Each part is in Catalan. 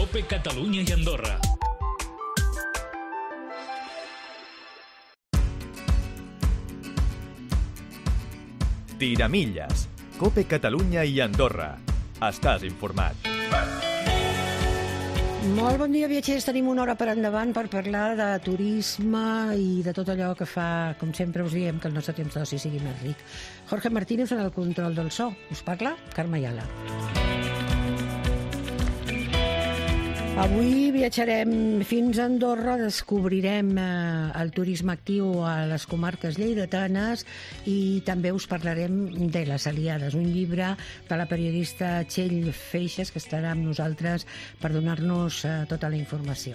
COPE Catalunya i Andorra. Tiramilles, COPE Catalunya i Andorra. Estàs informat. Molt bon dia, viatgers. Tenim una hora per endavant per parlar de turisme i de tot allò que fa, com sempre us diem, que el nostre temps d'oci sigui més ric. Jorge Martínez en el control del so. Us parla Carme Ayala. Avui viatjarem fins a Andorra, descobrirem el turisme actiu a les comarques lleidatanes i també us parlarem de Les Aliades, un llibre de la periodista Txell Feixes, que estarà amb nosaltres per donar-nos tota la informació.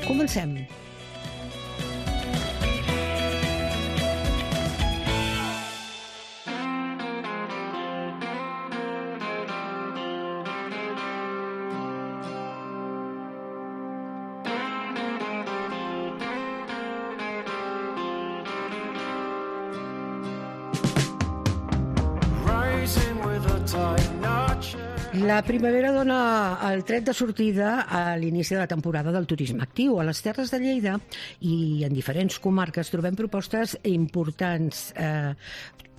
Comencem. La primavera dona el tret de sortida a l'inici de la temporada del turisme actiu. A les Terres de Lleida i en diferents comarques trobem propostes importants,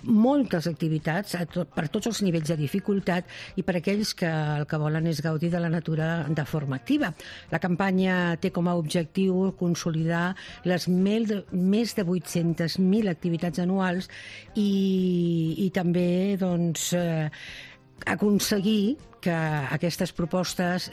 moltes activitats per tots els nivells de dificultat i per aquells que el que volen és gaudir de la natura de forma activa. La campanya té com a objectiu consolidar les més de 800.000 activitats anuals i també aconseguir que aquestes propostes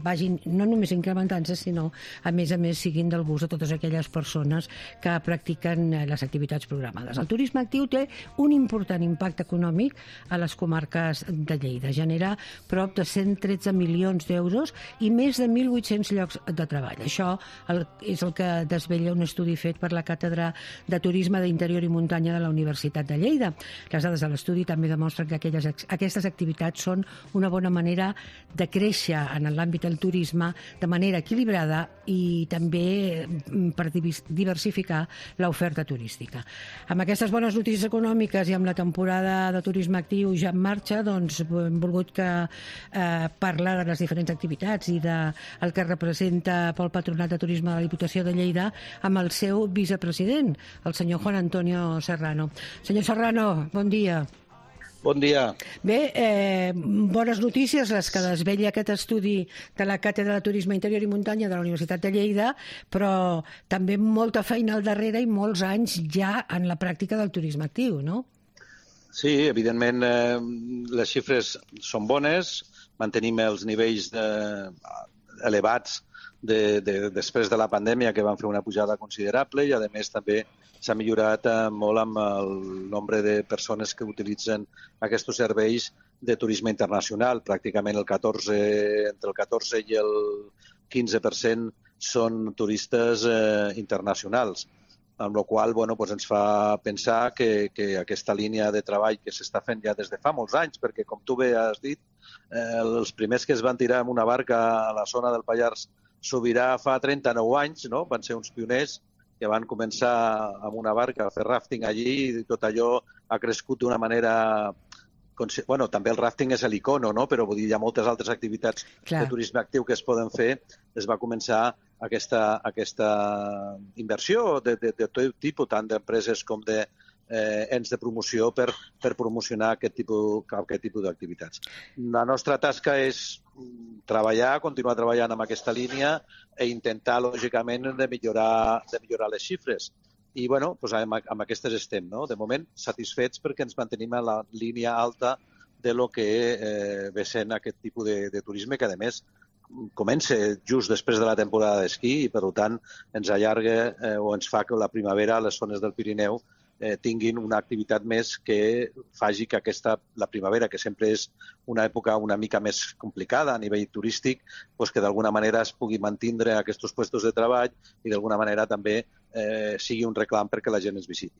vagin no només incrementant-se, sinó a més siguin del gust de totes aquelles persones que practiquen les activitats programades. El turisme actiu té un important impacte econòmic a les comarques de Lleida. Genera prop de 113 milions d'euros i més de 1.800 llocs de treball. Això és el que desvella un estudi fet per la Càtedra de Turisme d'Interior i Muntanya de la Universitat de Lleida. Les dades de l'estudi també demostren que aquestes activitats són una bona manera de créixer en l'àmbit del turisme de manera equilibrada i també per diversificar l'oferta turística. Amb aquestes bones notícies econòmiques i amb la temporada de turisme actiu ja en marxa, hem volgut parlar de les diferents activitats i del que representa pel Patronat de Turisme de la Diputació de Lleida amb el seu vicepresident, el senyor Juan Antonio Serrano. Senyor Serrano, bon dia. Bon dia. Bé, bones notícies les que desvella aquest estudi de la Càtedra de Turisme Interior i Muntanya de la Universitat de Lleida, però també molta feina al darrere i molts anys ja en la pràctica del turisme actiu, no? Sí, evidentment les xifres són bones, mantenim els nivells elevats després de la pandèmia, que van fer una pujada considerable, i a més també s'ha millorat molt amb el nombre de persones que utilitzen aquests serveis de turisme internacional. Pràcticament entre el 14 i el 15% són turistes internacionals, amb la qual cosa ens fa pensar que aquesta línia de treball que s'està fent ja des de fa molts anys, perquè com tu bé has dit, els primers que es van tirar amb una barca a la zona del Pallars Sobirà fa 39 anys, no? Van ser uns pioners que van començar amb una barca a fer ràfting allí i tot allò ha crescut d'una manera... Bueno, també el ràfting és l'icono, no? Però vull dir, hi ha moltes altres activitats de turisme actiu que es poden fer. Es va començar aquesta inversió de tot tipus, tant d'empreses com d'ens de promoció per promocionar aquest tipus d'activitats. La nostra tasca és continuar treballant amb aquesta línia i intentar, lògicament, de millorar les xifres. I, amb aquestes estem, no? De moment, satisfets perquè ens mantenim a la línia alta de lo que ve sent aquest tipus de turisme, que, a més, comença just després de la temporada d'esquí i, per tant, ens allarga o ens fa que la primavera a les zones del Pirineu tinguin una activitat més que faci que la primavera, que sempre és una època una mica més complicada a nivell turístic, que d'alguna manera es pugui mantenir aquests llocs de treball i d'alguna manera també sigui un reclam perquè la gent es visiti.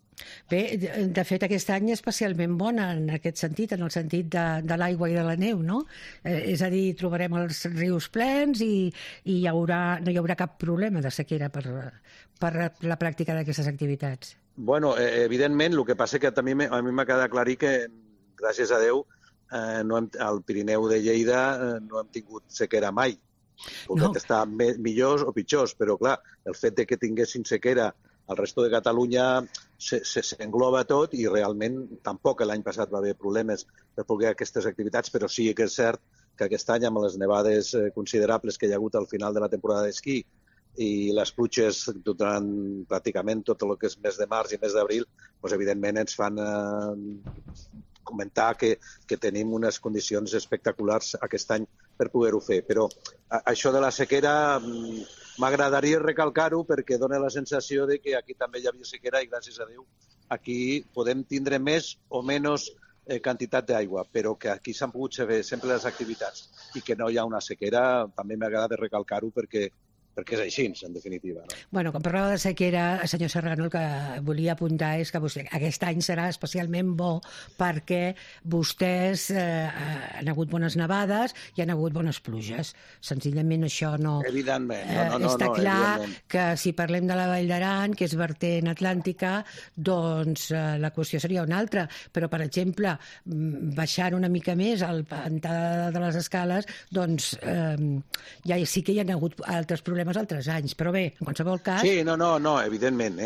Bé, de fet, aquest any és especialment bon en aquest sentit, en el sentit de l'aigua i de la neu, no? És a dir, trobarem els rius plens i no hi haurà cap problema de sequera per la pràctica d'aquestes activitats. Bueno, evidentment, el que passa que també a mi m'ha quedat aclarir que, gràcies a Déu, al Pirineu de Lleida no hem tingut sequera mai. Poden estar millors o pitjors, però clar, el fet de que tinguessin sequera al resto de Catalunya s'engloba tot i realment tampoc l'any passat va haver problemes per poder aquestes activitats, però sí que és cert que aquest any, amb les nevades considerables que hi ha hagut al final de la temporada d'esquí i les pluges durant pràcticament tot el que és mes de març i mes d'abril, doncs, evidentment ens fan comentar que tenim unes condicions espectaculars aquest any per poder-ho fer. Però això de la sequera m'agradaria recalcar-ho perquè dona la sensació de que aquí també hi havia sequera i, gràcies a Déu, aquí podem tindre més o menys quantitat d'aigua, però que aquí s'han pogut fer sempre les activitats i que no hi ha una sequera, també m'agrada recalcar-ho perquè és així, en definitiva. No? Bueno, quan parlava de sequera, senyor Serrano, el que volia apuntar és que aquest any serà especialment bo perquè vostès han hagut bones nevades i han hagut bones pluges. Senzillament això no... Evidentment. Està clar que si parlem de la Vall d'Aran, que és vertent atlàntica, doncs la qüestió seria una altra. Però, per exemple, baixant una mica més al pantà de les escales, doncs ja sí que hi ha hagut altres problemes altres anys, però bé, en qualsevol cas... Sí, no, evidentment,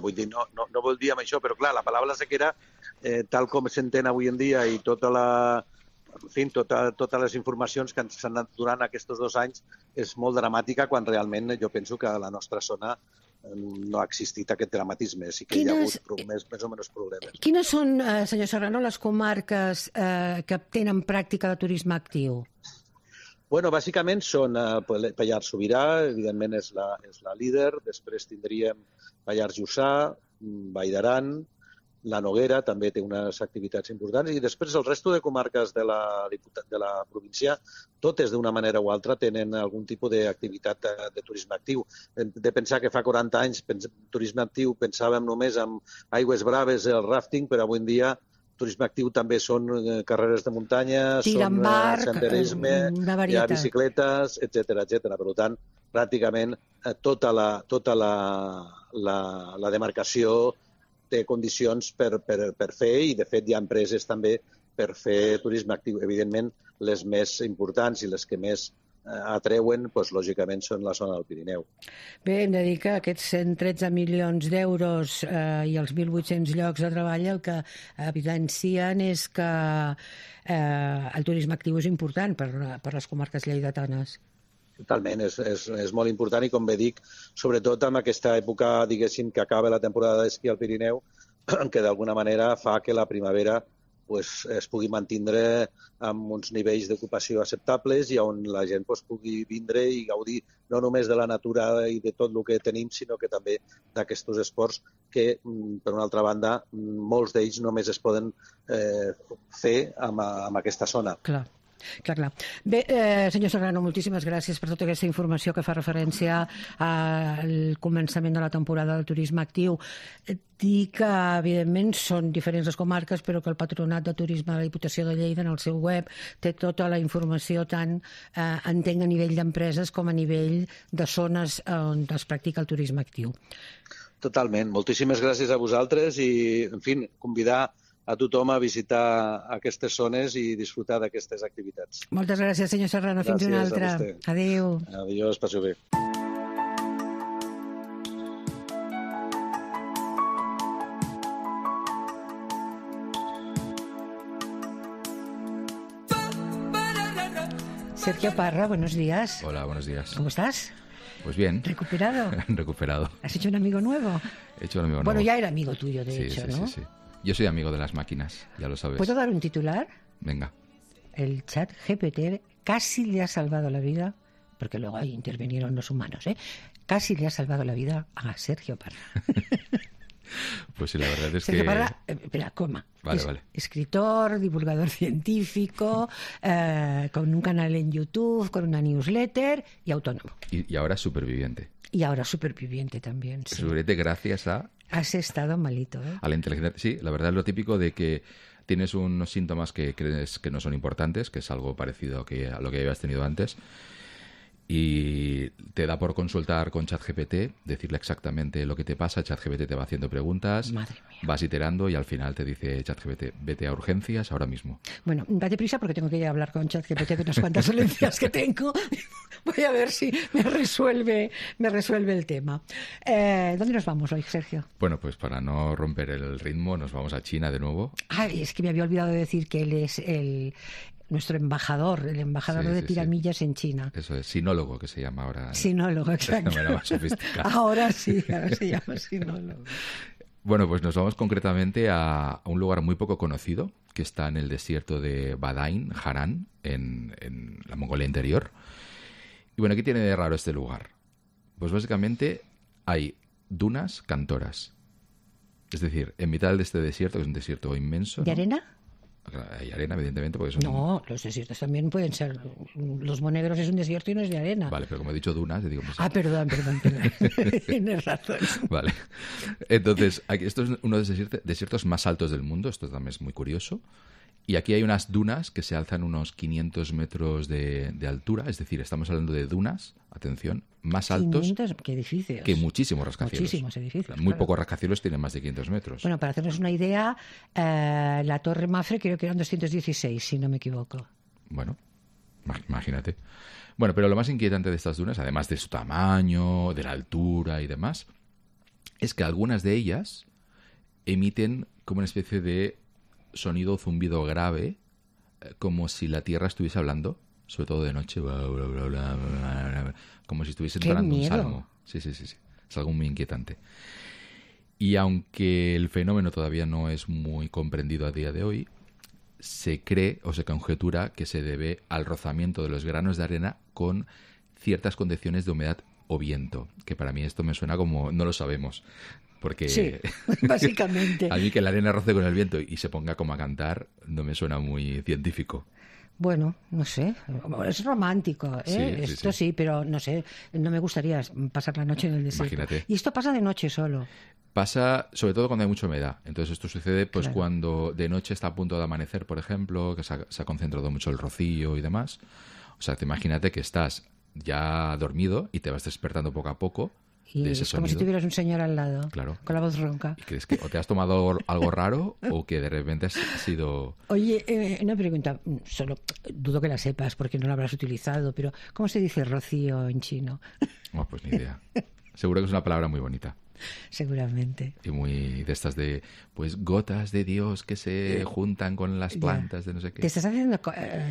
vull dir, no vol dir amb això, però clar, la paraula sequera, tal com s'entén avui en dia i totes les informacions que ens han anat donant aquests 2 anys és molt dramàtica, quan realment jo penso que a la nostra zona no ha existit aquest dramatisme, sí que hi ha hagut més o menys problemes. Quines són, senyor Serrano, les comarques que tenen pràctica de turisme actiu? Bueno, bàsicament són Pallars Sobirà, evidentment és la líder, després tindríem Pallars Jussà, Vall d'Aran, la Noguera també té unes activitats importants i després el resto de comarques de la província, totes d'una manera o altra tenen algun tipus d'activitat de turisme actiu. Hem de pensar que fa 40 anys turisme actiu pensàvem només en aigües braves, el rafting, però avui en dia turisme actiu també són carreres de muntanya, són senderisme, hi ha bicicletes, etc. Per tant, pràcticament tota la demarcació té condicions per fer i, de fet, hi ha empreses també per fer turisme actiu. Evidentment, les més importants i les que més atreuen, doncs, lògicament, són la zona del Pirineu. Bé, hem de dir que aquests 113 milions d'euros i els 1.800 llocs de treball el que evidencien és que el turisme actiu és important per les comarques lleidatanes. Totalment, és molt important i, com bé dic, sobretot en aquesta època, diguéssim, que acaba la temporada d'esquí al Pirineu, que d'alguna manera fa que la primavera es pugui mantindre amb uns nivells d'ocupació acceptables i on la gent pugui vindre i gaudir no només de la natura i de tot el que tenim, sinó que també d'aquests esports que, per una altra banda, molts d'ells només es poden fer amb aquesta zona. Clar. Bé, senyor Serrano, moltíssimes gràcies per tota aquesta informació que fa referència al començament de la temporada del turisme actiu. Dir que, evidentment, són diferents les comarques, però que el Patronat de Turisme de la Diputació de Lleida, en el seu web, té tota la informació tant, entenc, a nivell d'empreses com a nivell de zones on es practica el turisme actiu. Totalment. Moltíssimes gràcies a vosaltres i, en fi, convidar a tothom a visitar aquestes zones i disfrutar d'aquestes activitats. Moltes gràcies, senyor Serrano. Fins una altra. Adéu. Adiós, passeu bé. Sergio Parra, buenos días. Hola, buenos días. ¿Cómo estás? Pues bien. ¿Recuperado? Recuperado. ¿Has hecho un amigo nuevo? He hecho un amigo nuevo. Bueno, ya era amigo tuyo, de hecho, ¿no? Sí. Yo soy amigo de las máquinas, ya lo sabes. ¿Puedo dar un titular? Venga. El chat GPT casi le ha salvado la vida, porque luego ahí intervinieron los humanos, casi le ha salvado la vida a Sergio Parra. Pues sí, la verdad es Sergio que... Parra, espera, coma. Vale. Escritor, divulgador científico, con un canal en YouTube, con una newsletter y autónomo. Y ahora superviviente. Y ahora superviviente también, sí. Superviviente gracias a... Has estado malito, ¿eh? A la inteligencia. Sí, la verdad es lo típico de que tienes unos síntomas que crees que no son importantes, que es algo parecido a lo que habías tenido antes, y te da por consultar con ChatGPT, decirle exactamente lo que te pasa. ChatGPT te va haciendo preguntas, Madre mía. vas iterando y al final te dice ChatGPT, vete a urgencias ahora mismo. Bueno, date prisa porque tengo que ir a hablar con ChatGPT de unas cuantas dolencias que tengo. Voy a ver si me resuelve el tema. ¿Dónde nos vamos hoy, Sergio? Bueno, pues para no romper el ritmo nos vamos a China de nuevo. Ay, es que me había olvidado de decir que él es nuestro embajador, el embajador de tiramillas en China. Eso es, sinólogo que se llama ahora. Sinólogo, exacto. De manera más sofisticada. Ahora sí, ahora se llama sinólogo. Bueno, pues nos vamos concretamente a un lugar muy poco conocido que está en el desierto de Badain, Haran, en la Mongolia Interior. Y bueno, ¿qué tiene de raro este lugar? Pues básicamente hay dunas cantoras. Es decir, en mitad de este desierto, que es un desierto inmenso. ¿De ¿no? arena? Hay arena, evidentemente, porque son... No, los desiertos también pueden ser. Los Monegros es un desierto y no es de arena. Vale, pero como he dicho dunas, yo digo... Pues... Ah, perdón. Tienes razón. Vale. Entonces, esto es uno de los desiertos más altos del mundo. Esto también es muy curioso. Y aquí hay unas dunas que se alzan unos 500 metros de altura. Es decir, estamos hablando de dunas, atención, más altos 500, qué edificios. que muchísimos rascacielos. Muchísimos edificios. Muy claro. pocos rascacielos tienen más de 500 metros. Bueno, para hacernos una idea, la Torre Mafre creo que eran 216, si no me equivoco. Bueno, imagínate. Bueno, pero lo más inquietante de estas dunas, además de su tamaño, de la altura y demás, es que algunas de ellas emiten como una especie de sonido zumbido grave, como si la tierra estuviese hablando, sobre todo de noche, como si estuviese entonando un salmo. Sí. Es algo muy inquietante. Y aunque el fenómeno todavía no es muy comprendido a día de hoy, se cree o se conjetura que se debe al rozamiento de los granos de arena con ciertas condiciones de humedad o viento, que para mí esto me suena como no lo sabemos. Porque sí, básicamente. A mí que la arena roce con el viento y se ponga como a cantar no me suena muy científico. Bueno, no sé, es romántico, ¿eh? Sí, Esto sí, pero no sé, no me gustaría pasar la noche en el desierto. Imagínate. Y esto pasa de noche solo. Pasa sobre todo cuando hay mucha humedad. Entonces esto sucede pues Claro. cuando de noche está a punto de amanecer, por ejemplo, que se ha concentrado mucho el rocío y demás. O sea, te imagínate que estás ya dormido y te vas despertando poco a poco Y de ese es como si sonido. tuvieras un señor al lado, Claro. con la voz ronca. Y crees que o te has tomado algo raro o que de repente has sido... Oye, una pregunta, solo dudo que la sepas porque no la habrás utilizado, pero ¿cómo se dice rocío en chino? No, pues ni idea. Seguro que es una palabra muy bonita. Seguramente. Y muy de estas de, pues, gotas de Dios que se juntan con las plantas de no sé qué. ¿Te estás haciendo,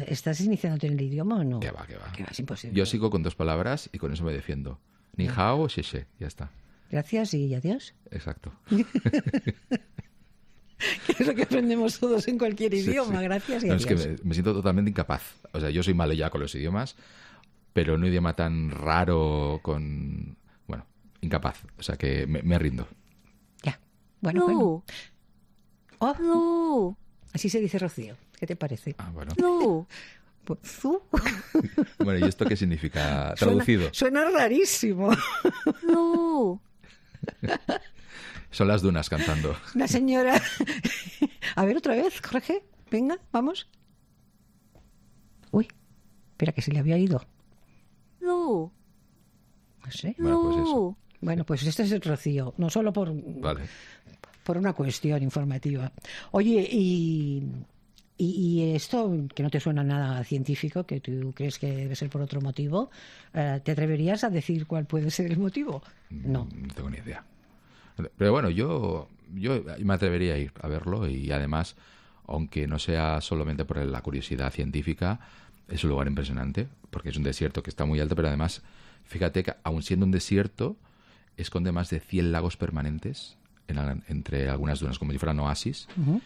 estás iniciándote en el idioma o no? Que va, que va. Que va, es imposible. Yo sigo con 2 palabras y con eso me defiendo. Ni hao o xie, ya está. Gracias y adiós. Exacto. Que es lo que aprendemos todos en cualquier idioma. Sí. Gracias y No, adiós. es que me siento totalmente incapaz. O sea, yo soy malo ya con los idiomas, pero un idioma tan raro con... Bueno, incapaz. O sea, que me rindo. Ya. Bueno. Oh, así se dice Rocío. ¿Qué te parece? Ah, bueno. Pues, ¿zu? Bueno, ¿y esto qué significa traducido? Suena rarísimo. Son las dunas cantando. Una señora... A ver, otra vez, Jorge. Venga, vamos. Uy, espera, que se le había ido. No sé. Bueno, pues eso. Bueno, pues este es el Rocío. No solo por una cuestión informativa. Oye, y esto, que no te suena nada científico, que tú crees que debe ser por otro motivo, ¿te atreverías a decir cuál puede ser el motivo? No. No tengo ni idea. Pero bueno, yo me atrevería a ir a verlo y además, aunque no sea solamente por la curiosidad científica, es un lugar impresionante porque es un desierto que está muy alto, pero además, fíjate que aun siendo un desierto, esconde más de 100 lagos permanentes entre algunas dunas, como si fueran oasis. Uh-huh.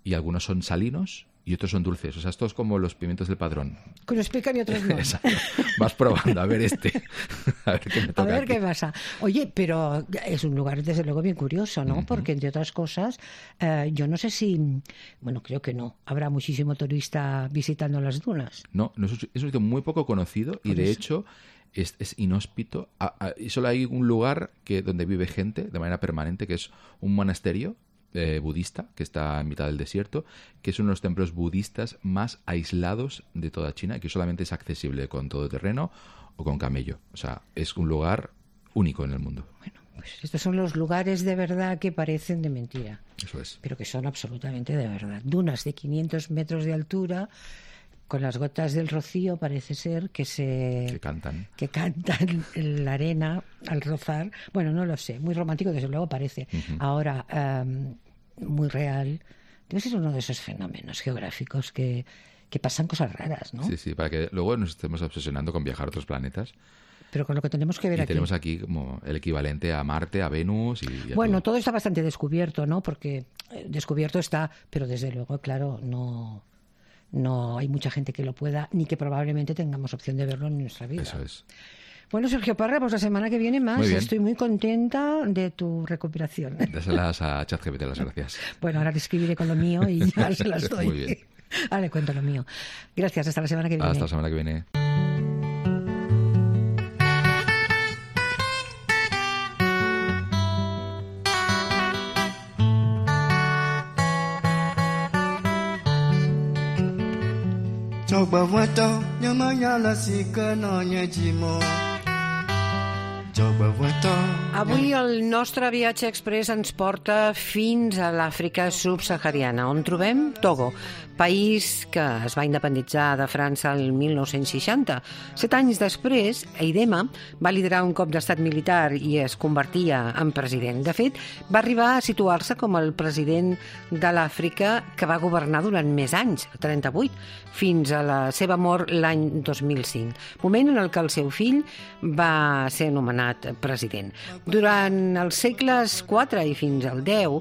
Y algunos son salinos y otros son dulces. O sea, esto es como los pimientos del Padrón. Que nos pican y otros no. Exacto. Vas probando, a ver a ver qué me toca. A ver aquí. qué pasa. Oye, pero es un lugar desde luego bien curioso, ¿no? Uh-huh. Porque entre otras cosas, yo no sé si, bueno, creo que no, habrá muchísimo turista visitando las dunas. No, es un sitio muy poco conocido y Por de eso. hecho es inhóspito. Y solo hay un lugar donde vive gente de manera permanente, que es un monasterio budista que está en mitad del desierto, que es uno de los templos budistas más aislados de toda China y que solamente es accesible con todoterreno o con camello. O sea, es un lugar único en el mundo. Bueno, pues estos son los lugares de verdad que parecen de mentira. Eso es. Pero que son absolutamente de verdad. Dunas de 500 metros de altura, con las gotas del rocío, parece ser, que cantan en la arena al rozar. Bueno, no lo sé, muy romántico desde luego parece. Uh-huh. Ahora, muy real. Debe ser uno de esos fenómenos geográficos que pasan cosas raras, ¿no? Sí, para que luego nos estemos obsesionando con viajar a otros planetas. Pero con lo que tenemos que ver aquí. Y tenemos aquí como el equivalente a Marte, a Venus y a bueno, todo está bastante descubierto, ¿no? Porque descubierto está, pero desde luego, claro, no hay mucha gente que lo pueda, ni que probablemente tengamos opción de verlo en nuestra vida. Eso es. Bueno, Sergio Parra, pues la semana que viene más. Estoy muy contenta de tu recuperación. Dáselas a ChatGPT, las gracias. Bueno, ahora te escribiré con lo mío y ya se las doy. Muy bien. Ahora le cuento lo mío. Gracias, hasta la semana que viene. Hasta la semana que viene. Avui el nostre viatge express ens porta fins a l'Àfrica subsahariana, on trobem Togo, país que es va independitzar de França el 1960. 7 anys després, Aidema va liderar un cop d'estat militar i es convertia en president. De fet, va arribar a situar-se com el president de l'Àfrica que va governar durant més anys, 38, fins a la seva mort l'any 2005, moment en el que el seu fill va ser nomenat president. Durant els segles IV i fins al X,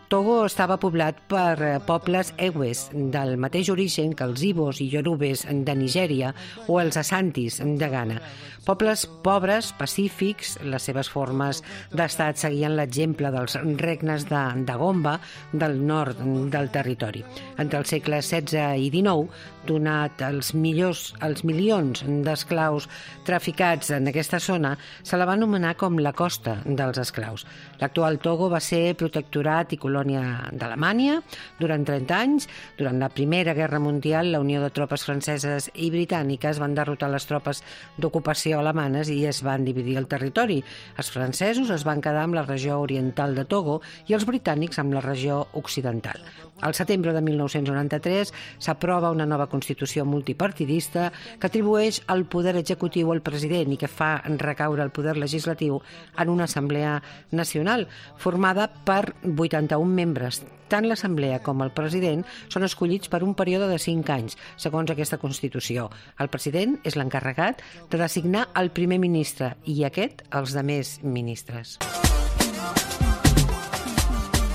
Togo estava poblat per pobles Ewes del mateix origen que els Ibos i Yorubes de Nigèria o els Asantis de Ghana. Pobles pobres, pacífics, les seves formes d'estat seguien l'exemple dels regnes de Gomba del nord del territori. Entre els segles XVI i XIX, donat els milions d'esclaus traficats en aquesta zona, se la va anomenar com la costa dels esclaus. L'actual Togo va ser protectorat i colònia d'Alemanya durant 30 anys. Durant la Primera Guerra Mundial, la unió de tropes franceses i britàniques van derrotar les tropes d'ocupació alemanes i es van dividir el territori. Els francesos es van quedar amb la regió oriental de Togo i els britànics amb la regió occidental. Al setembre de 1993 s'aprova una nova constitució multipartidista que atribueix el poder executiu al president i que fa recaure el poder legislatiu en una assemblea nacional formada per 81 membres. Tant l'assemblea com el president són escollits per un període de 5 anys, segons aquesta Constitució. El president és l'encarregat de designar el primer ministre i aquest els demés ministres.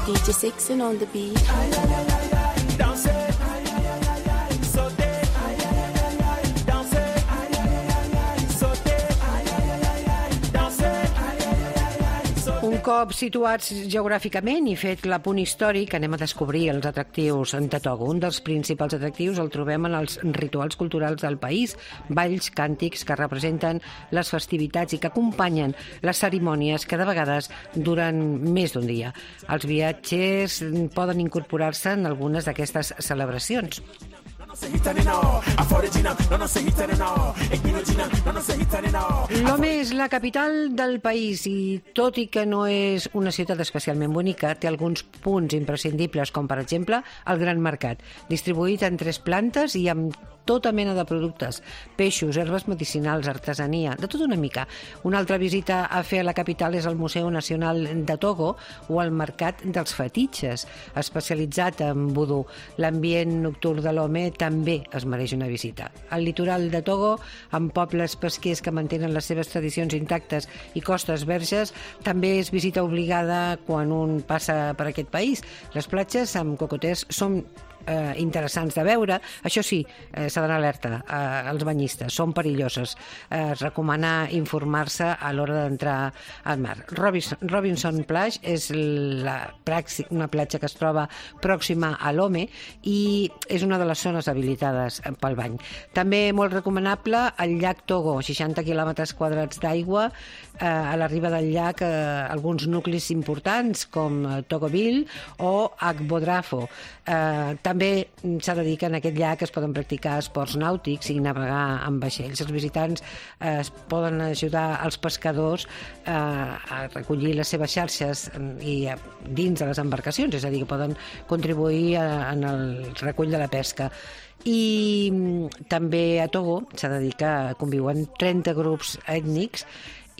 DJ Sixen on the beat. Un cop situats geogràficament i fet l'apunt històric, anem a descobrir els atractius de Togo. Un dels principals atractius el trobem en els rituals culturals del país, balls, càntics que representen les festivitats i que acompanyen les cerimònies que de vegades duren més d'un dia. Els viatgers poden incorporar-se en algunes d'aquestes celebracions. Lomé és la capital del país i, tot i que no és una ciutat especialment bonica, té alguns punts imprescindibles, com per exemple el Gran Mercat, distribuït en 3 plantes i amb tota mena de productes, peixos, herbes medicinals, artesania, de tot una mica. Una altra visita a fer a la capital és el Museu Nacional de Togo o el Mercat dels Fetitxes, especialitzat en vudú. L'ambient nocturn de Lomé també es mereix una visita. El litoral de Togo, amb pobles pesquers que mantenen les seves tradicions intactes i costes verges, també és visita obligada quan un passa per aquest país. Les platges amb cocoters són interessants de veure. Això sí, s'ha d'anar alerta als banyistes, són perilloses. Recomanar informar-se a l'hora d'entrar al mar. Robinson Plage és una platja que es troba pròxima a l'Home i és una de les zones habilitades pel bany. També molt recomanable el llac Togo, 60 quilòmetres quadrats d'aigua, a la riba del llac alguns nuclis importants com Togoville o Agbodrafo. També s'ha de dir que en aquest llac es poden practicar esports nàutics i navegar amb vaixells. Els visitants es poden ajudar als pescadors a recollir les seves xarxes i dins de les embarcacions, és a dir, que poden contribuir en el recull de la pesca. I també a Togo s'ha de dir que conviuen 30 grups ètnics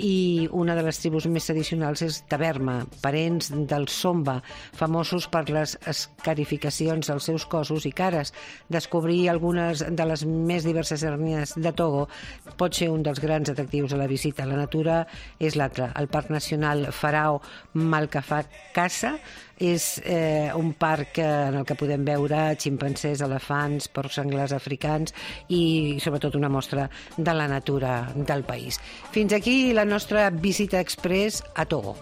i una de les tribus més tradicionals és Taberma, parents del Somba, famosos per les escarificacions dels seus cossos i cares. Descobrir algunes de les més diverses ètnies de Togo pot ser un dels grans atractius a la visita. La natura és l'altre. El Parc Nacional Farao Malkafakassa és un parc en el que podem veure ximpancers, elefants, porcs senglars africans i sobretot una mostra de la natura del país. Fins aquí la nostra visita express a Togo.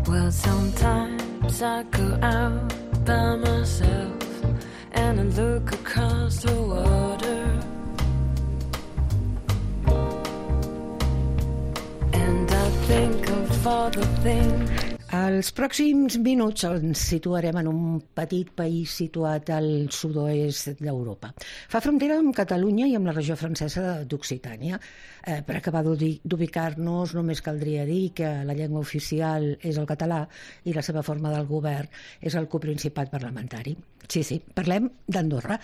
Well, sometimes I go out by myself and I look across the water and I think of all the things. Els pròxims minuts ens situarem en un petit país situat al sud-oest d'Europa. Fa frontera amb Catalunya i amb la regió francesa d'Occitània. Per acabar d'ubicar-nos, només caldria dir que la llengua oficial és el català i la seva forma del govern és el coprincipat parlamentari. Sí, parlem d'Andorra.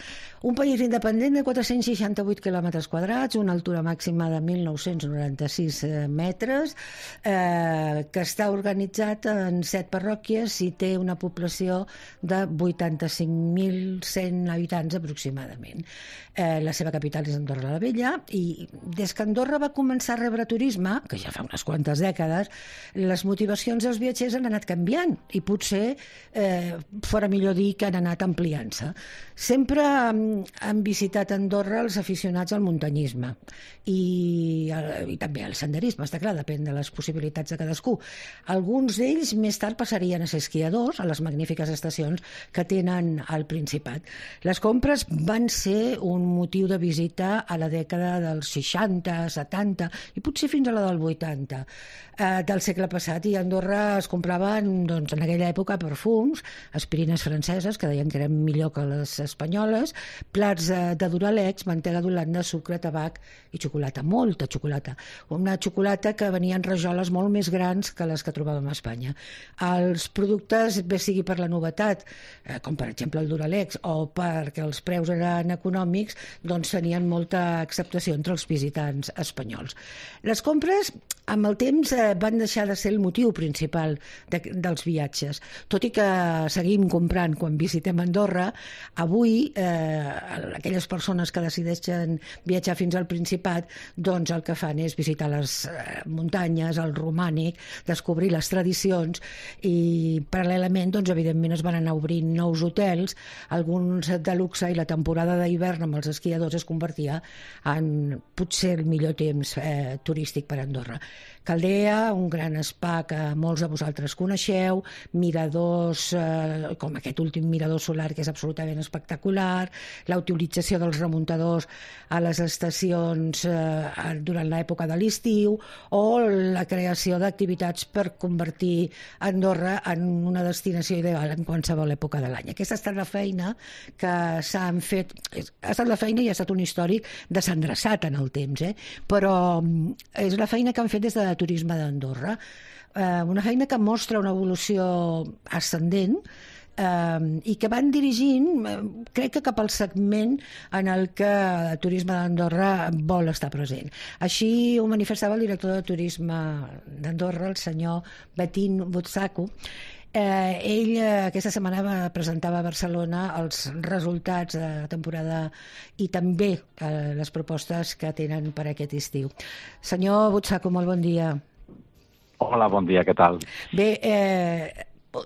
Un país independent de 468 quilòmetres quadrats, una altura màxima de 1.996 metres, que està organitzat en 7 parròquies i té una població de 85.100 habitants aproximadament. La seva capital és Andorra la Vella i des que Andorra va començar a rebre turisme, que ja fa unes quantes dècades, les motivacions dels viatgers han anat canviant i potser fora millor dir que han anat ampliant-se. Sempre han visitat Andorra els aficionats al muntanyisme i també al senderisme, està clar, depèn de les possibilitats de cadascú. Alguns d'ells més tard passarien a ser esquiadors a les magnífiques estacions que tenen al Principat. Les compres van ser un motiu de visita a la dècada dels 60, 70 i potser fins a la del 80 del segle passat, i a Andorra es compraven doncs, en aquella època perfums, aspirines franceses que deien que eren millor que les espanyoles, plats de Duralex, mantega d'Holanda, sucre, tabac i xocolata, molta xocolata. Una xocolata que venia en rajoles molt més grans que les que trobàvem a Espanya. Els productes, bé sigui per la novetat, com per exemple el Duralex, o perquè els preus eren econòmics, doncs tenien molta acceptació entre els visitants espanyols. Les compres, amb el temps, van deixar de ser el motiu principal dels viatges. Tot i que seguim comprant quan visitem Andorra, avui aquelles persones que decideixen viatjar fins al Principat, doncs el que fan és visitar les muntanyes, el romànic, descobrir les tradicions i paral·lelament, doncs, evidentment es van anar obrint nous hotels, alguns de luxe, i la temporada d'hivern amb els esquiadors es convertia en potser el millor temps turístic per a Andorra. Caldea, un gran spa que molts de vosaltres coneixeu, miradors com aquest últim mirador solar que és absolutament espectacular, la utilització dels remuntadors a les estacions durant l'època de l'estiu o la creació d'activitats per convertir Andorra en una destinació ideal en qualsevol època de l'any. Aquesta ha estat la feina que s'han fet, ha estat la feina i ha estat un històric desendreçat en el temps, però és la feina que han fet des de Turisme d'Andorra, una feina que mostra una evolució ascendent i que van dirigint, crec que cap al segment en el que el turisme d'Andorra vol estar present. Així ho manifestava el director de turisme d'Andorra, el senyor Betín Butsaco. Ell aquesta setmana presentava a Barcelona els resultats de la temporada i també les propostes que tenen per aquest estiu. Senyor Butsaco, molt bon dia. Hola, bon dia, què tal? Bé,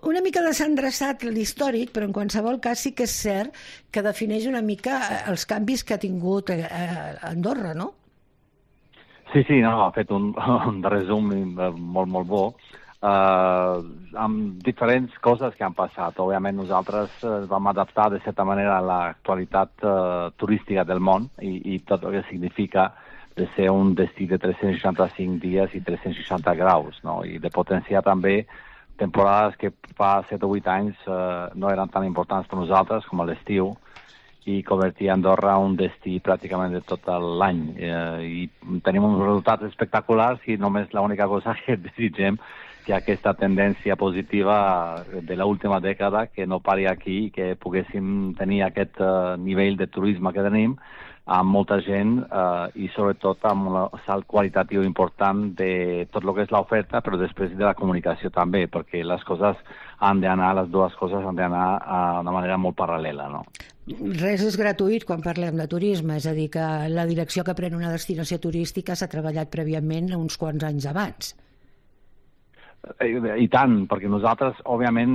una mica desendreçat l'històric, però en qualsevol cas sí que és cert que defineix una mica els canvis que ha tingut Andorra, no? Sí, no, ha fet un resum molt bo, amb diferents coses que han passat. Òbviament nosaltres vam adaptar de certa manera a l'actualitat turística del món i tot el que significa de ser un destí de 365 dies i 360 graus, no? I de potenciar també temporades que fa 7 o 8 anys no eren tan importants per nosaltres com a l'estiu i convertir Andorra un destí pràcticament de tot l'any. I tenim uns resultats espectaculars i només l'única cosa que desitgem que aquesta tendència positiva de l'última dècada que no pari aquí i que poguéssim tenir aquest nivell de turisme que tenim amb molta gent i sobretot amb un salt qualitatiu important de tot el que és l'oferta, però després de la comunicació també, perquè les coses han d'anar, les dues coses han d'anar de manera molt paral·lela, no? Res és gratuït quan parlem de turisme, és a dir, que la direcció que pren una destinació turística s'ha treballat prèviament uns quants anys abans. I tant, perquè nosaltres, òbviament,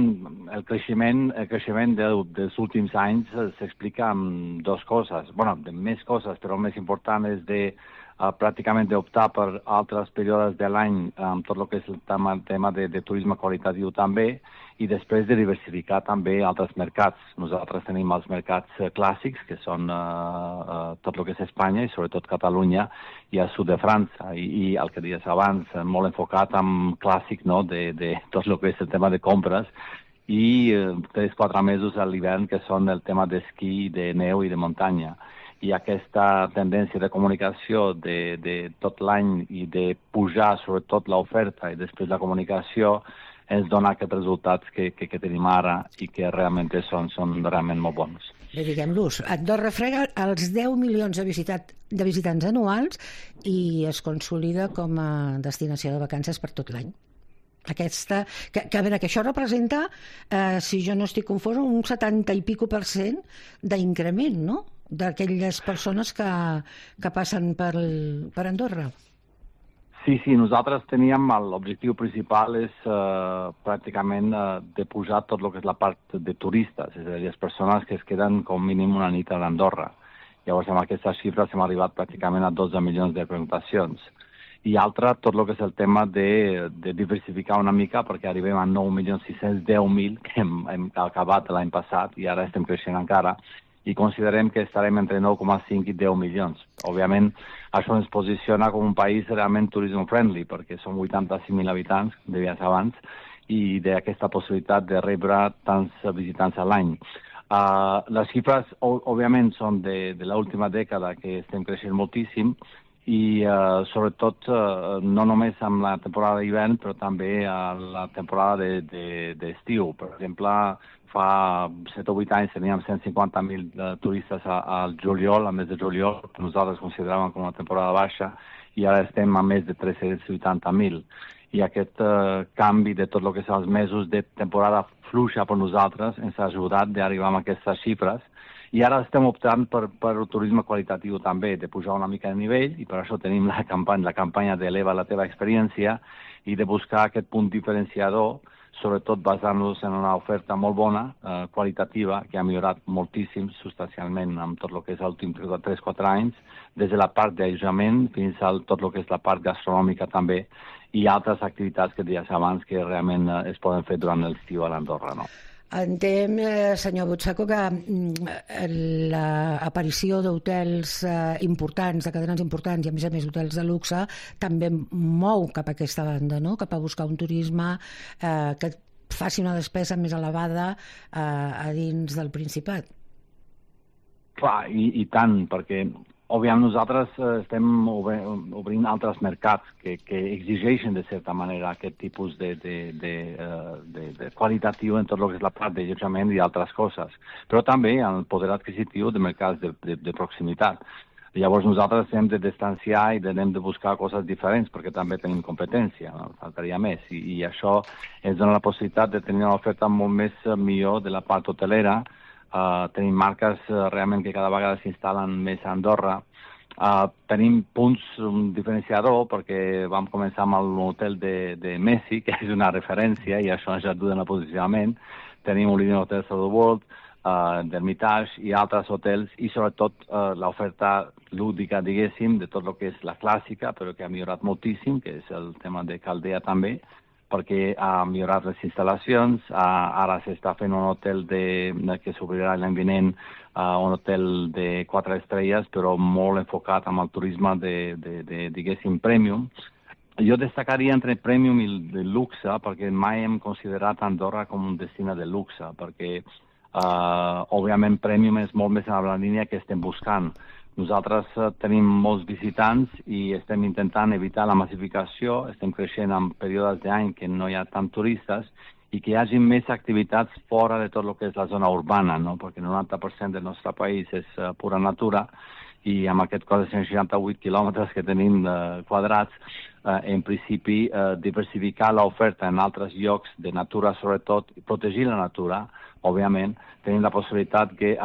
el creixement dels últims anys s'explica amb dues coses. Bueno, de més coses, però el més important és de pràcticament d'optar per altres períodes de l'any amb tot el que és el tema de turisme qualitatiu també i després de diversificar també altres mercats. Nosaltres tenim els mercats clàssics, que són tot el que és Espanya i sobretot Catalunya i el sud de França i el que dies abans, molt enfocat en clàssic, no?, de tot el que és el tema de compres i 3-4 mesos a l'hivern que són el tema d'esquí, de neu i de muntanya. I aquesta tendència de comunicació de tot l'any i de pujar sobretot l'oferta i després la comunicació ens dona aquests resultats que tenim ara i que realment són realment molt bons. Bé, diguem-los, Andorra frega els 10 milions de visitants anuals i es consolida com a destinació de vacances per tot l'any. Aquesta, que això representa, si jo no estic confós, un 70 i pico % d'increment, no?, d'aquelles persones que passen per Andorra. Sí, nosaltres teníem l'objectiu principal és pràcticament de pujar tot el que és la part de turistes, és a dir, les persones que es queden com mínim una nit a Andorra. Llavors, amb aquestes xifres hem arribat pràcticament a 12 milions de pernoctacions. I altra, tot el que és el tema de diversificar una mica, perquè arribem a 9.610.000, que hem acabat l'any passat i ara estem creixent encara, i considerem que estarem entre 9,5 i 10 milions. Òbviament, això ens posiciona com un país realment turisme-friendly, perquè som 85.000 habitants, deies abans, i d'aquesta possibilitat de rebre tants visitants a l'any. Les xifres, òbviament, són de l'última dècada que estem creixent moltíssim, i sobretot no només amb la temporada d'hivern, però també a la temporada d'estiu. Per exemple, fa 7 o 8 anys teníem 150.000 turistes al juliol, al mes de juliol, que nosaltres consideràvem com una temporada baixa, i ara estem a més de 380.000. I aquest canvi de tot el que són els mesos de temporada fluixa per nosaltres ens ha ajudat d'arribar a aquestes xifres. I ara estem optant per el turisme qualitatiu també, de pujar una mica de nivell, i per això tenim la campanya d'Eleva la teva experiència i de buscar aquest punt diferenciador, sobretot basant-nos en una oferta molt bona, qualitativa, que ha millorat moltíssim, substancialment, amb tot el que és els últims 3-4 anys, des de la part d'allotjament fins a tot el que és la part gastronòmica també, i altres activitats que deies abans que realment es poden fer durant l'estiu a l'Andorra, no? Entenc, senyor Butsaco, que l'aparició d'hotels importants, de cadenes importants i, a més hotels de luxe, també mou cap a aquesta banda, no?, cap a buscar un turisme que faci una despesa més elevada a dins del Principat. Clar, i tant, perquè òbviament nosaltres estem obrint altres mercats que exigeixen de certa manera aquest tipus de qualitatiu en tot el que és la part d'allotjament i altres coses, però també el poder adquisitiu de mercats de proximitat. Llavors nosaltres hem de distanciar i hem de buscar coses diferents perquè també tenim competència, no? Faltaria més. I això ens dona la possibilitat de tenir una oferta molt més millor de la part hotelera. Tenim marques realment que cada vegada s'instal·len més a Andorra. Tenim punts, un diferenciador, perquè vam començar amb l'hotel de Messi, que és una referència, i això ens ajuda en el posicionament. Tenim un línia d'hotels of the World, d'Hermitage i altres hotels, i sobretot l'oferta lúdica, diguéssim, de tot el que és la clàssica, però que ha millorat moltíssim, que és el tema de Caldea també, perquè ha millorat les instal·lacions. Ara s'està fent un hotel que s'obrirà l'any vinent, un hotel de 4 estrelles, però molt enfocat amb el turisme diguéssim, premium. Jo destacaria entre premium i el luxe, perquè mai hem considerat Andorra com un destí de luxe, perquè òbviament premium és molt més en la línia que estem buscant. Nosaltres tenim molts visitants i estem intentant evitar la massificació, estem creixent en períodes d'any que no hi ha tant turistes i que hi hagi més activitats fora de tot el que és la zona urbana, no? Perquè el 90% del nostre país és pura natura i amb aquest cos de 168 quilòmetres que tenim quadrats, en principi diversificar l'oferta en altres llocs de natura, sobretot, i protegir la natura, òbviament, tenim la possibilitat que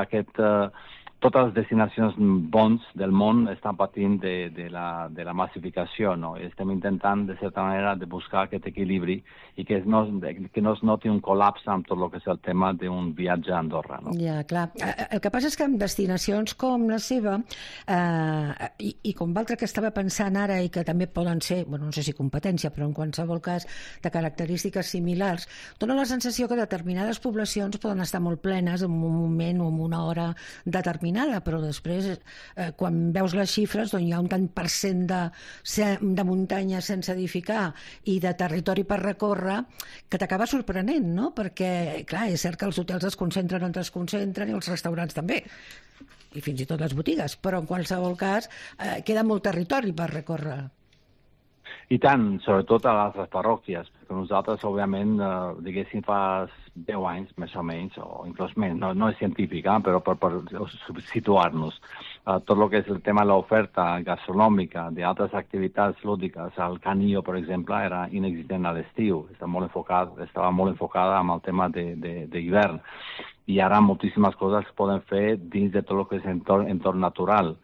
totes les destinacions bons del món estan patint de la massificació, no? Estem intentant, de certa manera, de buscar aquest equilibri i que no es noti un col·lapse amb tot el que és el tema d'un viatge a Andorra, no? Ja, clar. El que passa és que en destinacions com la seva i com l'altra que estava pensant ara i que també poden ser, bueno, no sé si competència, però en qualsevol cas de característiques similars, dona la sensació que determinades poblacions poden estar molt plenes en un moment o en una hora determinada, però després, quan veus les xifres, doncs hi ha un tant per cent de muntanya sense edificar i de territori per recórrer que t'acaba sorprenent, no? Perquè, clar, és cert que els hotels es concentren on es concentren i els restaurants també, i fins i tot les botigues, però en qualsevol cas queda molt territori per recórrer. I tant, sobretot a les parròquies, perquè nosaltres, òbviament, diguéssim, fa 10 anys, més o menys, o inclús menys, no és científic, però per situar-nos. Tot el que és el tema de l'oferta gastronòmica, d'altres activitats lúdiques, el Canillo, per exemple, era inexistent a l'estiu, estava molt enfocada amb el tema d'hivern. I ara moltíssimes coses es poden fer dins de tot el que és entorn natural,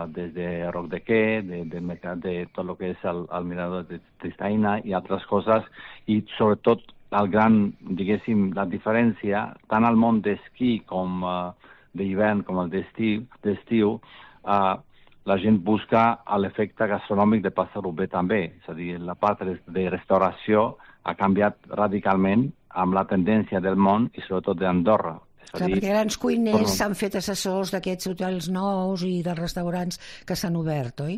des de Roc de Quer, del mercat de tot el que és el mirador de Tristaina i altres coses, i sobretot diguéssim, la diferència, tant al món d'esquí com d'hivern com el d'estiu, la gent busca l'efecte gastronòmic de passar-ho bé també. És a dir, la part de restauració ha canviat radicalment amb la tendència del món i sobretot d'Andorra. Clar, perquè grans cuiners s'han fet assessors d'aquests hotels nous i dels restaurants que s'han obert, oi?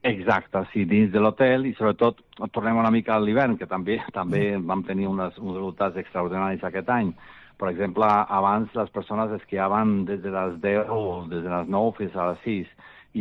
Exacte, sí, dins de l'hotel i sobretot tornem una mica a l'hivern, que també vam tenir uns resultats extraordinaris aquest any. Per exemple, abans les persones esquiaven des de les 10 o des de les 9 fins a les 6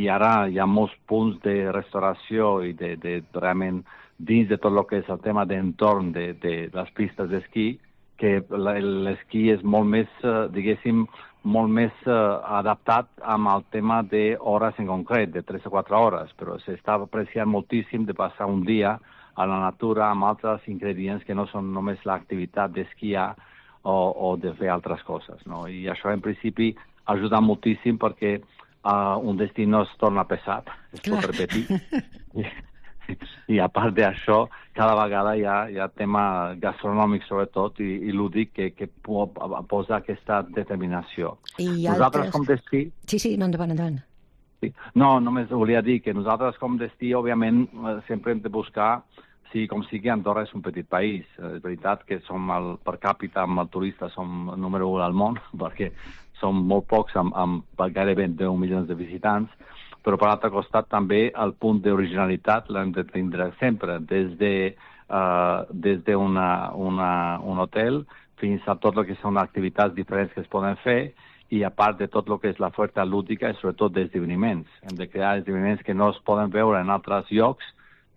i ara hi ha molts punts de restauració i de realment dins de tot el que és el tema d'entorn de les pistes d'esquí, que l'esquí és molt més, diguéssim, molt més adaptat amb el tema d'hores en concret, de 3 o 4 hores, però s'està apreciant moltíssim de passar un dia a la natura amb altres ingredients que no són només l'activitat d'esquiar o de fer altres coses, no? I això, en principi, ajuda moltíssim perquè un destí no es torna pesat, es pot repetir. I a part d'això, cada vegada hi ha tema gastronòmic, sobretot, i lúdic, que posa aquesta determinació. I nosaltres, com destí... Sí, no, endavant. Sí. No, només volia dir que nosaltres, com destí, òbviament, sempre hem de buscar, com sigui, Andorra és un petit país. És veritat que som per càpita amb el turista, som número 1 al món, perquè som molt pocs, amb gairebé 10 milions de visitants, però per l'altre costat també el punt d'originalitat l'hem de tindre sempre, des d'un hotel fins a tot el que són activitats diferents que es poden fer i a part de tot el que és l'oferta lúdica i sobretot d'esdeveniments. Hem de crear esdeveniments que no es poden veure en altres llocs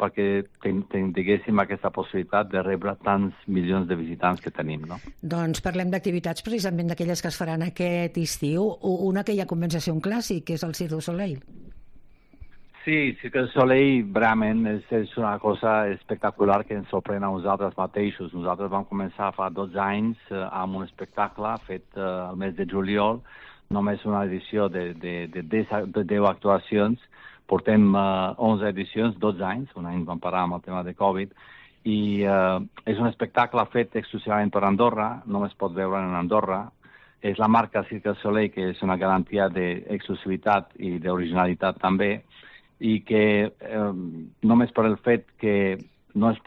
perquè tinguéssim aquesta possibilitat de rebre tants milions de visitants que tenim, no? Doncs parlem d'activitats precisament d'aquelles que es faran aquest estiu. Una que ja comença a ser un clàssic, que és el Cirque du Soleil. Sí, Cirque du Soleil realment és una cosa espectacular que ens sorprèn a nosaltres mateixos. Nosaltres vam començar fa 12 anys amb un espectacle fet al mes de juliol, només una edició de 10 actuacions. Portem 11 edicions, 12 anys, un any vam parar amb el tema de Covid, i és un espectacle fet exclusivament per Andorra, només pot veure en Andorra. És la marca Cirque du Soleil, que és una garantia d'exclusivitat i d'originalitat també, i que només per el fet que només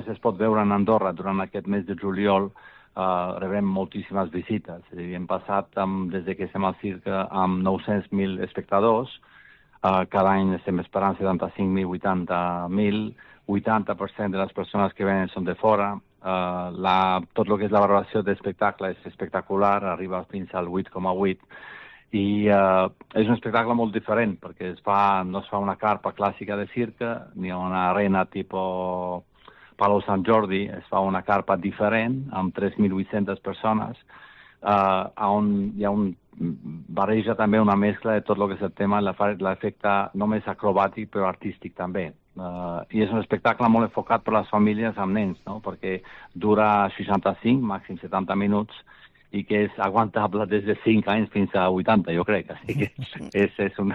es pot veure en Andorra durant aquest mes de juliol, rebem moltíssimes visites. És a dir, hem passat, des que estem al cirque, amb 900.000 espectadors. Cada any estem esperant 75.000, 80.000, 80% de les persones que venen són de fora. Tot el que és la valoració d'espectacle és espectacular, arriba fins al 8,8, i és un espectacle molt diferent, perquè no es fa una carpa clàssica de cirque, ni una arena tipus Palau Sant Jordi, es fa una carpa diferent, amb 3.800 persones, on hi ha barreja també una mescla de tot el que és el tema, l'efecte només acrobàtic però artístic també. I és un espectacle molt enfocat per les famílies amb nens, no? Perquè dura 65, màxim 70 minuts, i que és aguantable des de 5 anys fins a 80, jo crec. Així que és un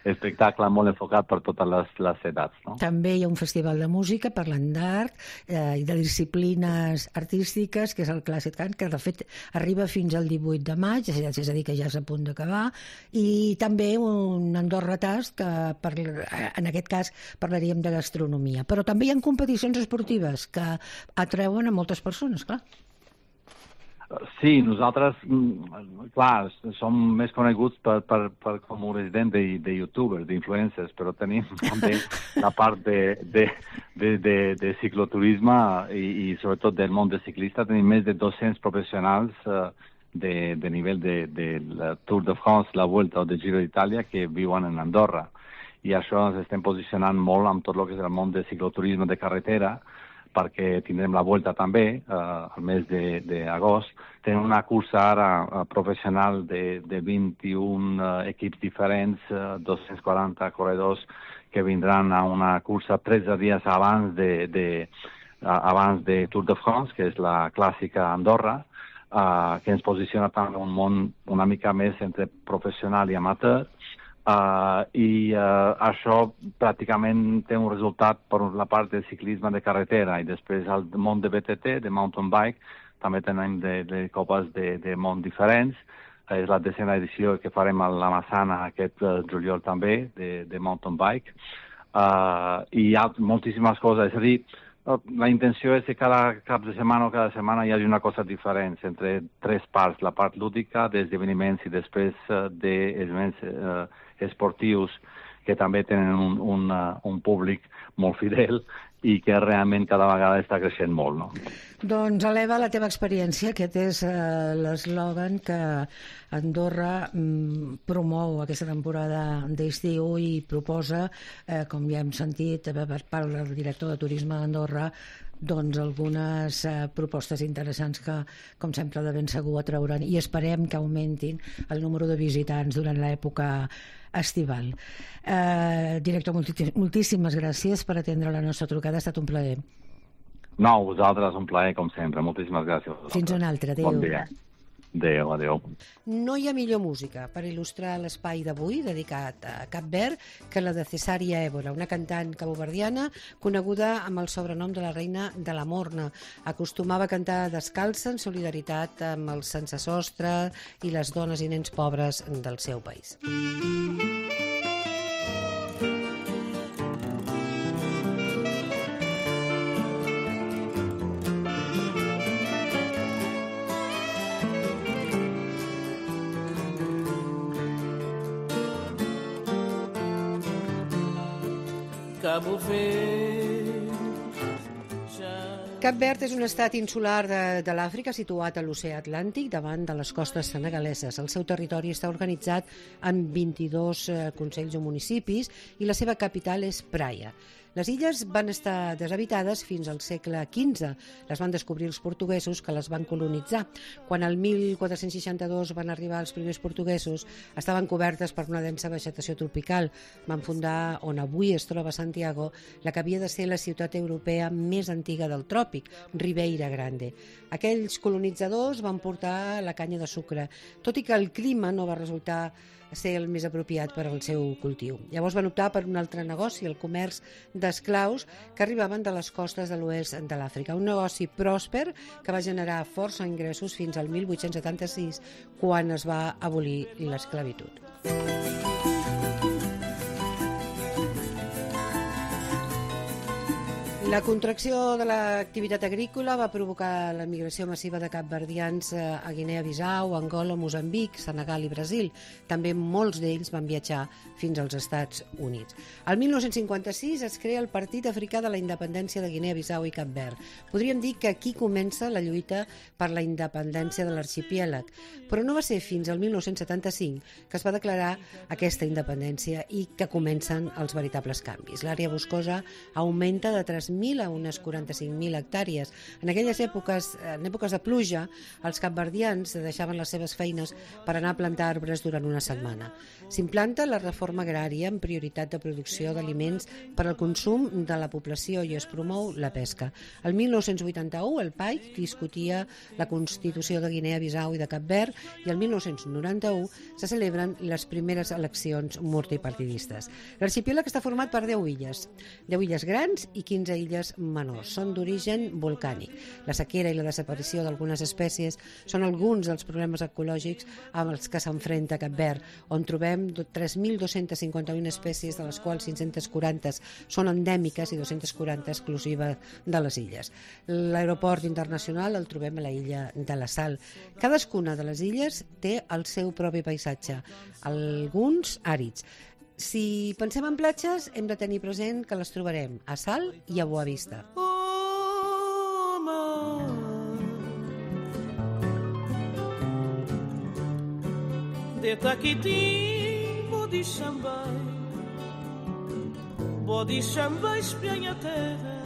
espectacle molt enfocat per totes les edats, no? També hi ha un festival de música parlant d'art i de disciplines artístiques, que és el Clàssic Cant, que de fet arriba fins al 18 de maig, és a dir, que ja és a punt d'acabar, i també un Andorra Task, que en aquest cas parlaríem de gastronomia. Però també hi ha competicions esportives que atreuen a moltes persones, clar. Sí, nosaltres, clar, som més coneguts com un resident de youtubers, d'influencers, però tenim també la part de cicloturisme i sobretot del món de ciclista. Tenim més de 200 professionals de nivell de la Tour de France, la Vuelta o de Giro d'Itàlia que viuen en Andorra. I això ens estem posicionant molt amb tot el que és el món de cicloturisme de carretera, perquè tindrem la Vuelta també al mes d'agost. Tenim una cursa ara professional de 21 equips diferents, 240 corredors que vindran a una cursa 13 dies abans de Tour de France, que és la clàssica Andorra, que ens posiciona també en un món una mica més entre professional i amateur. Això pràcticament té un resultat per la part del ciclisme de carretera, i després el món de BTT, de mountain bike, també tenim de copes de món diferents. És la 10ª edició que farem a la Massana aquest juliol també, de mountain bike. I hi ha moltíssimes coses, és a dir, la intenció és que cada cap de setmana o cada setmana hi hagi una cosa diferent entre 3 parts, la part lúdica d'esdeveniments i després d'esdeveniments esportius que també tenen un públic molt fidel i que realment cada vegada està creixent molt, no? Doncs eleva la teva experiència, aquest és l'eslògan que Andorra promou aquesta temporada d'estiu i proposa, com ja hem sentit per part del director de turisme d'Andorra, doncs algunes propostes interessants que, com sempre, de ben segur atrauran, i esperem que augmentin el número de visitants durant l'època estival. Director, moltíssimes gràcies per atendre la nostra trucada, ha estat un plaer. No, vosaltres, un plaer, com sempre. Moltíssimes gràcies. Fins un altre, adéu. Bon dia. Adéu. No hi ha millor música per il·lustrar l'espai d'avui dedicat a Cap Verd que la de Cesària Évora, una cantant caboverdiana coneguda amb el sobrenom de la reina de la Morna. Acostumava a cantar descalça en solidaritat amb els sensesostre i les dones i nens pobres del seu país. Cabo Verde já Cap Verd és un estat insular de l'Àfrica situat a l'oceà Atlàntic davant de les costes senegaleses. El seu territori està organitzat en 22 consells o municipis i la seva capital és Praia. Les illes van estar deshabitades fins al segle XV. Les van descobrir els portuguesos que les van colonitzar. Quan el 1462 van arribar els primers portuguesos, estaven cobertes per una densa vegetació tropical. Van fundar on avui es troba Santiago, la que havia de ser la ciutat europea més antiga del tròpic, Ribeira Grande. Aquells colonitzadors van portar la canya de sucre, tot i que el clima no va resultar ser el més apropiat per al seu cultiu. Llavors van optar per un altre negoci, el comerç d'esclaus que arribaven de les costes de l'oest de l'Àfrica. Un negoci pròsper que va generar força ingressos fins al 1876, quan es va abolir l'esclavitud. La contracció de l'activitat agrícola va provocar la migració massiva de capverdians a Guinea-Bissau, Angola, Moçambic, Senegal i Brasil. També molts d'ells van viatjar fins als Estats Units. El 1956 es crea el Partit Africà de la Independència de Guinea-Bissau i Cap Verd. Podríem dir que aquí comença la lluita per la independència de l'arxipèlag, però no va ser fins al 1975 que es va declarar aquesta independència i que comencen els veritables canvis. L'àrea boscosa augmenta de 3.000 a unes 45.000 hectàrees. En aquelles èpoques, en èpoques de pluja, els capverdians deixaven les seves feines per anar a plantar arbres durant una setmana. S'implanta la reforma agrària amb prioritat de producció d'aliments per al consum de la població i es promou la pesca. El 1981 el PAIC discutia la Constitució de Guinea-Bissau i de Cap Verd i el 1991 se celebren les primeres eleccions multipartidistes. L'arxipèlag està format per 10 illes grans i 15 illes menors. Són d'origen volcànic. La sequera i la desaparició d'algunes espècies són alguns dels problemes ecològics amb els que s'enfrenta Cap Verd, on trobem 3.251 espècies, de les quals 540 són endèmiques i 240 exclusives de les illes. L'aeroport internacional el trobem a la illa de la Sal. Cadascuna de les illes té el seu propi paisatge, alguns àrids. Si pensem en platges, hem de tenir present que les trobarem a Sal i a Boa Vista. De Taquitim, bodi xambai, espianya terra.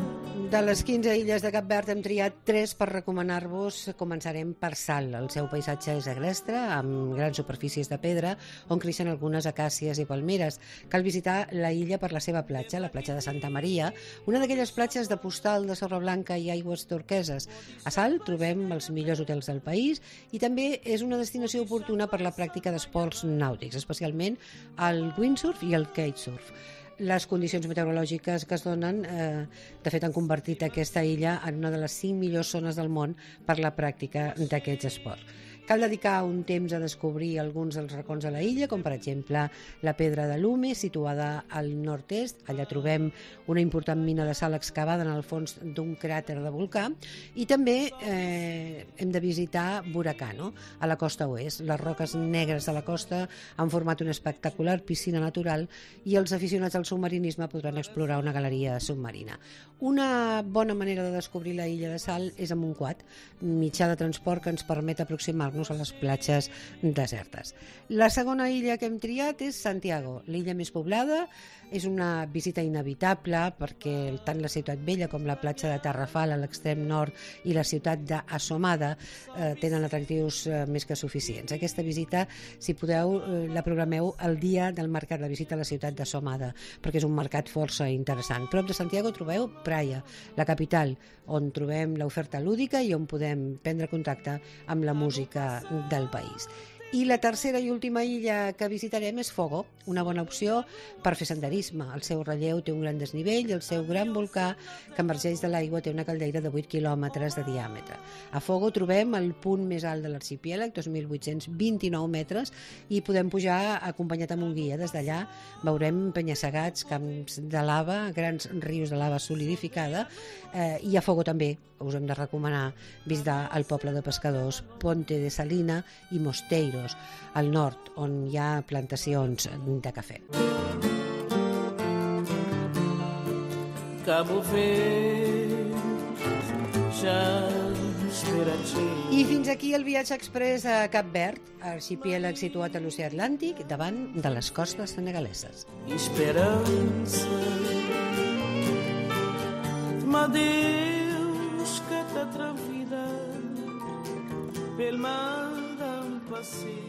De les 15 illes de Cap Verd hem triat 3 per recomanar-vos. Començarem per Sal. El seu paisatge és agrestre, amb grans superfícies de pedra, on creixen algunes acàcies i palmeres. Cal visitar la illa per la seva platja, la platja de Santa Maria, una d'aquelles platges de postal de sorra blanca i aigües turqueses. A Sal trobem els millors hotels del país i també és una destinació oportuna per la pràctica d'esports nàutics, especialment el windsurf i el kitesurf. Les condicions meteorològiques que es donen, de fet, han convertit aquesta illa en una de les 5 millors zones del món per la pràctica d'aquests esports. Cal dedicar un temps a descobrir alguns dels racons de la illa, com per exemple la Pedra de Lume, situada al nord-est. Allà trobem una important mina de sal excavada en el fons d'un cràter de volcà. I també hem de visitar Buracano, a la costa oest. Les roques negres de la costa han format una espectacular piscina natural i els aficionats al submarinisme podran explorar una galeria submarina. Una bona manera de descobrir la illa de Sal és amb un quad, mitjà de transport que ens permet aproximar-nos a les platges desertes. La segona illa que hem triat és Santiago, l'illa més poblada. És una visita inevitable perquè tant la ciutat vella com la platja de Tarrafal a l'extrem nord i la ciutat d'Assomada tenen atractius més que suficients. Aquesta visita, si podeu, la programeu el dia del mercat, la visita a la ciutat d'Assomada, perquè és un mercat força interessant. Prop de Santiago trobeu Praia, la capital, on trobem l'oferta lúdica i on podem prendre contacte amb la música del país. I la tercera i última illa que visitarem és Fogo, una bona opció per fer senderisme. El seu relleu té un gran desnivell i el seu gran volcà que emergeix de l'aigua té una caldeira de 8 quilòmetres de diàmetre. A Fogo trobem el punt més alt de l'arxipèlag, 2.829 metres, i podem pujar acompanyat amb un guia. Des d'allà veurem penya-segats, camps de lava, grans rius de lava solidificada, i a Fogo també us hem de recomanar visitar el poble de pescadors Ponte de Salina i Mosteiros, al nord, on hi ha plantacions de cafè. Cabo Verde, já espera-te. I fins aquí el viatge express a Cap Verd, arxipèlag situat a l'oceà Atlàntic, davant de les costes senegaleses. Esperança m'adeus que t'atrevida pel mar d'un passeig.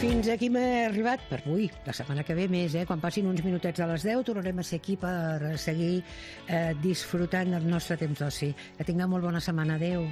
Fins aquí m'he arribat per avui. La setmana que ve més, quan passin uns minutets de les 10 tornarem a ser aquí per seguir disfrutant del nostre temps d'oci. Que tingueu molt bona setmana. Adéu.